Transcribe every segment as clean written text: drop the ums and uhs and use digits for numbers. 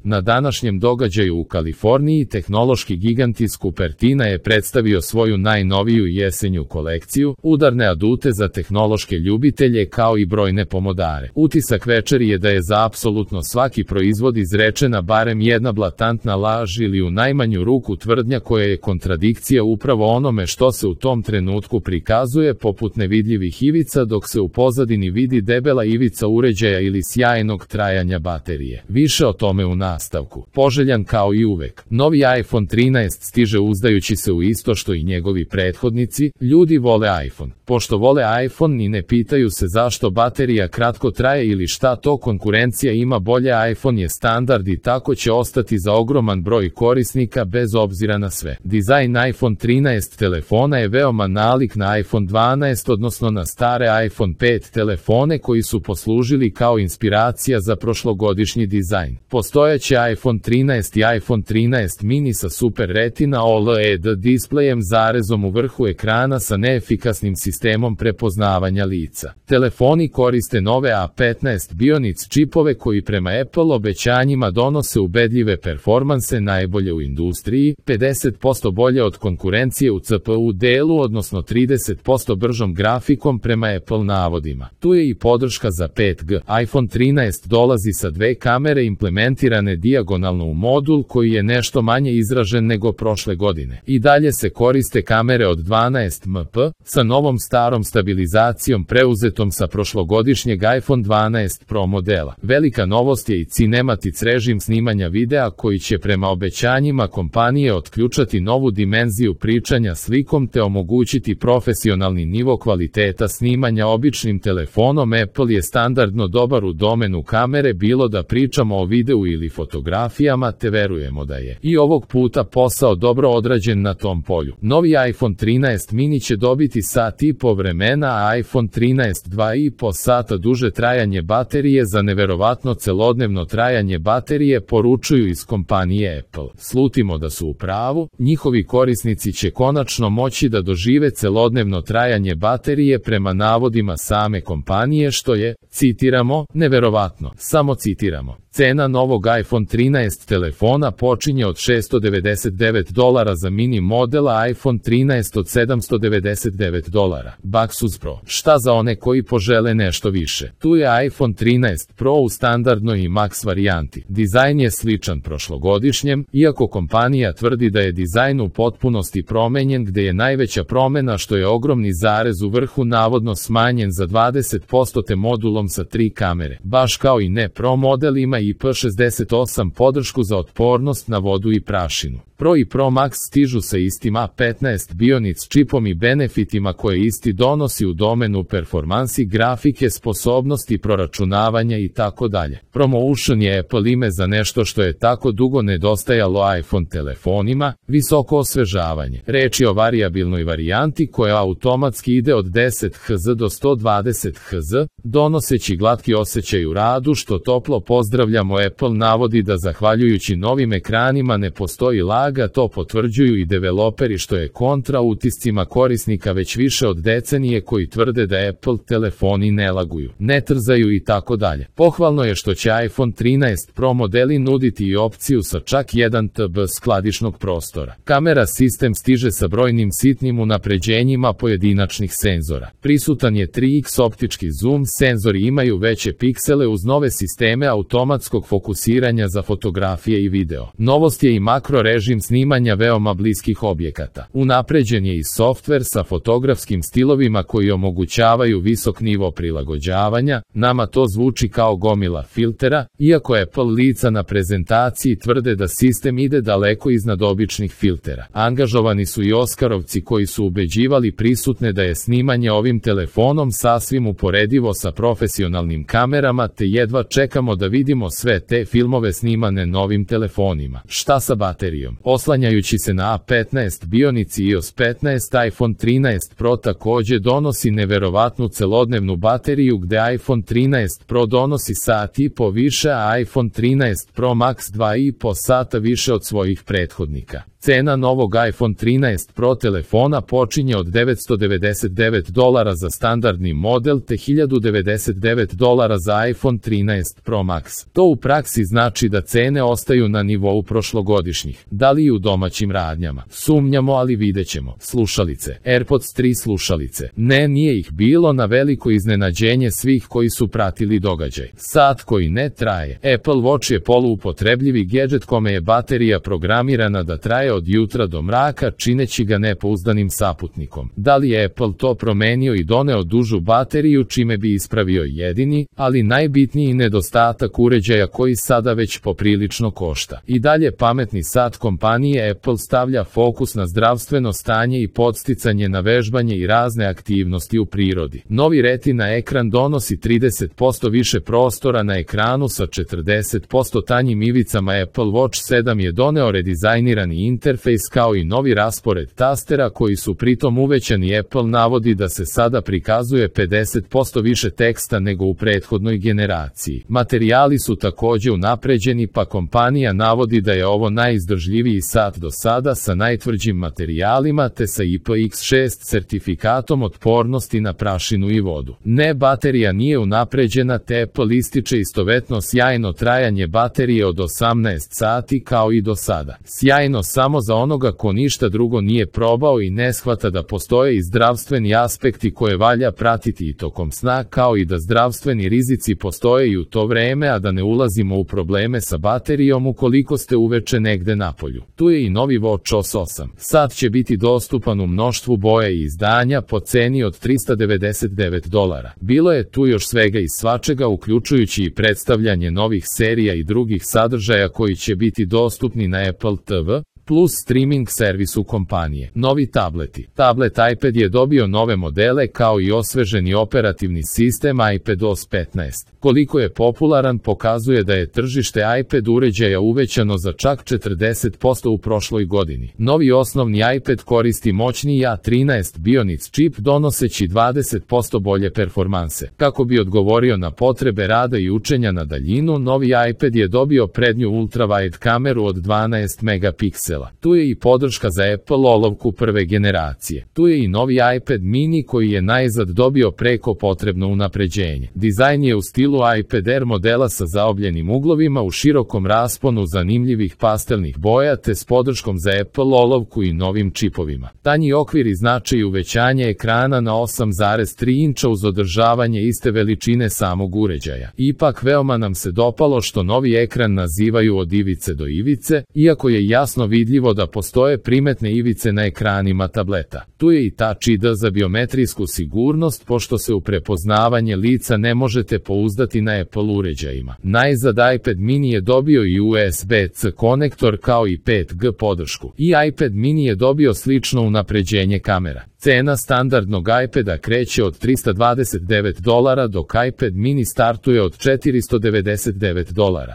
Na današnjem događaju u Kaliforniji tehnološki gigant iz Cupertina je predstavio svoju najnoviju jesenju kolekciju, udarne adute za tehnološke ljubitelje kao i brojne pomodare. Utisak večeri je da je za apsolutno svaki proizvod izrečena barem jedna blatantna laž ili u najmanju ruku tvrdnja koja je kontradikcija upravo onome što se u tom trenutku prikazuje poput nevidljivih ivica dok se u pozadini vidi debela ivica uređaja ili sjajnog trajanja baterije. Više o tome u nastavku. Poželjan kao i uvek. Novi iPhone 13 stiže uzdajući se u isto što i njegovi prethodnici, ljudi vole iPhone. Pošto vole iPhone i ne pitaju se zašto baterija kratko traje ili šta to konkurencija ima bolje, iPhone je standard i tako će ostati za ogroman broj korisnika bez obzira na sve. Dizajn iPhone 13 telefona je veoma nalik na iPhone 12, odnosno na stare iPhone 5 telefone koji su poslužili kao inspiracija za prošlogodišnji dizajn. Postojeći iPhone 13 i iPhone 13 mini sa Super Retina OLED displejem zarezom u vrhu ekrana sa neefikasnim sistemom prepoznavanja lica. Telefoni koriste nove A15 Bionic čipove koji prema Apple obećanjima donose ubedljive performanse najbolje u industriji, 50% bolje od konkurencije u CPU delu, odnosno 30% bržom grafikom prema Apple navodima. Tu je i podrška za 5G. iPhone 13 dolazi sa dve kamere implementirane dijagonalno u modul koji je nešto manje izražen nego prošle godine. I dalje se koriste kamere od 12 MP sa novom starom stabilizacijom preuzetom sa prošlogodišnjeg iPhone 12 Pro modela. Velika novost je i Cinematics režim snimanja videa koji će prema obećanjima kompanije otključati novu dimenziju pričanja slikom te omogućiti profesionalni nivo kvaliteta snimanja običnim telefonom. Apple je standardno dobar u domenu kamere, bilo da pričamo o videu ili fotografijama, te verujemo da je i ovog puta posao dobro odrađen na tom polju. Novi iPhone 13 mini će dobiti sat i po vremena, a iPhone 13 2,5 sata duže trajanje baterije za neverovatno celodnevno trajanje baterije, poručuju iz kompanije Apple. Slutimo da su u pravu, njihovi korisnici će konačno moći da dožive celodnevno trajanje baterije prema navodima same kompanije, što je, citiramo, neverovatno. Samo citiramo. Cena novog iPhone 13 telefona počinje od $699 za mini model, a iPhone 13 od $799. Bucks Pro. Šta za one koji požele nešto više? Tu je iPhone 13 Pro u standardnoj i Max varijanti. Dizajn je sličan prošlogodišnjem, iako kompanija tvrdi da je dizajn u potpunosti promenjen, gde je najveća promena što je ogromni zarez u vrhu navodno smanjen za 20% te modulom sa 3 kamere. Baš kao i ne Pro model ima IP68 podršku za otpornost na vodu i prašinu. Pro i Pro Max stižu sa istim A15 Bionic čipom i benefitima koje isti donosi u domenu performansi, grafike, sposobnosti proračunavanja i tako dalje. Promotion je Apple ime za nešto što je tako dugo nedostajalo iPhone telefonima, visoko osvežavanje. Reč je o varijabilnoj varijanti koja automatski ide od 10 Hz do 120 Hz, donoseći glatki osjećaj u radu, što toplo pozdravljamo. Apple navodi da zahvaljujući novim ekranima ne postoji lag, to potvrđuju i developeri, što je kontra utiscima korisnika već više od decenije koji tvrde da Apple telefoni ne laguju, ne trzaju i tako dalje. Pohvalno je što će iPhone 13 Pro modeli nuditi i opciju sa čak 1 TB skladišnog prostora. Kamera sistem stiže sa brojnim sitnim unapređenjima pojedinačnih senzora. Prisutan je 3x optički zoom, senzori imaju veće piksele uz nove sisteme automatskog fokusiranja za fotografije i video. Novost je i makro režim snimanja veoma bliskih objekata. Unapređen je i softver sa fotografskim stilovima koji omogućavaju visok nivo prilagođavanja. Nama to zvuči kao gomila filtera, iako Apple lica na prezentaciji tvrde da sistem ide daleko iznad običnih filtera. Angažovani su i Oskarovci koji su ubeđivali prisutne da je snimanje ovim telefonom sasvim uporedivo sa profesionalnim kamerama, te jedva čekamo da vidimo sve te filmove snimane novim telefonima. Šta sa baterijom? Oslanjajući se na A15 Bionic i iOS 15, iPhone 13 Pro takođe donosi neverovatnu celodnevnu bateriju, gde iPhone 13 Pro donosi sat i po više, a iPhone 13 Pro Max 2,5 sata više od svojih prethodnika. Cena novog iPhone 13 Pro telefona počinje od $999 za standardni model te $1099 za iPhone 13 Pro Max. To u praksi znači da cene ostaju na nivou prošlogodišnjih. Da li i u domaćim radnjama? Sumnjamo, ali videćemo. Slušalice. AirPods 3 slušalice. Ne, nije ih bilo, na veliko iznenađenje svih koji su pratili događaj. Sat koji ne traje. Apple Watch je poluupotrebljivi gedžet kome je baterija programirana da traje od jutra do mraka, čineći ga nepouzdanim saputnikom. Da li je Apple to promenio i doneo dužu bateriju, čime bi ispravio jedini, ali najbitniji nedostatak uređaja koji sada već poprilično košta? I dalje pametni sat kompanije Apple stavlja fokus na zdravstveno stanje i podsticanje na vežbanje i razne aktivnosti u prirodi. Novi Retina ekran donosi 30% više prostora na ekranu sa 40% tanjim ivicama. Apple Watch 7 je doneo redizajnirani interfejs kao i novi raspored tastera koji su pritom uvećani. Apple navodi da se sada prikazuje 50% više teksta nego u prethodnoj generaciji. Materijali su takođe unapređeni, pa kompanija navodi da je ovo najizdržljiviji sat do sada sa najtvrđim materijalima te sa IPX6 sertifikatom otpornosti na prašinu i vodu. Ne, baterija nije unapređena, te Apple ističe istovetno sjajno trajanje baterije od 18 sati kao i do sada. Sjajno samo za onoga ko ništa drugo nije probao i ne shvata da postoje i zdravstveni aspekti koje valja pratiti i tokom sna, kao i da zdravstveni rizici postoje i u to vreme, a da ne ulazimo u probleme sa baterijom ukoliko ste uveče negde napolju. Tu je i novi Watch OS 8. Sat će biti dostupan u mnoštvu boja i izdanja po ceni od $399. Bilo je tu još svega i svačega, uključujući i predstavljanje novih serija i drugih sadržaja koji će biti dostupni na Apple TV plus streaming servisu kompanije. Novi tableti. Tablet iPad je dobio nove modele kao i osveženi operativni sistem iPadOS 15. Koliko je popularan pokazuje da je tržište iPad uređaja uvećano za čak 40% u prošloj godini. Novi osnovni iPad koristi moćni A13 Bionic čip donoseći 20% bolje performanse. Kako bi odgovorio na potrebe rada i učenja na daljinu, novi iPad je dobio prednju ultrawide kameru od 12 megapiksela. Tu je i podrška za Apple olovku prve generacije. Tu je i novi iPad mini koji je najzad dobio preko potrebno unapređenje. Dizajn je u stilu iPad Air modela sa zaobljenim uglovima u širokom rasponu zanimljivih pastelnih boja te s podrškom za Apple olovku i novim čipovima. Tanji okvir znači i uvećanje ekrana na 8,3 inča uz održavanje iste veličine samog uređaja. Ipak veoma nam se dopalo što novi ekran nazivaju od ivice do ivice, iako je jasno vidljivo da postoje primetne ivice na ekranima tableta. Tu je i Touch ID za biometrijsku sigurnost, pošto se u prepoznavanje lica ne možete pouzdati na Apple uređajima. Najzad iPad mini je dobio i USB-C konektor kao i 5G podršku. I iPad mini je dobio slično unapređenje kamera. Cena standardnog iPada kreće od $329 dok iPad mini startuje od $499.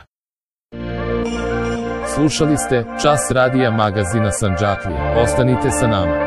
Slušali ste Čas radija magazina Sandžaklija. Ostanite sa nama.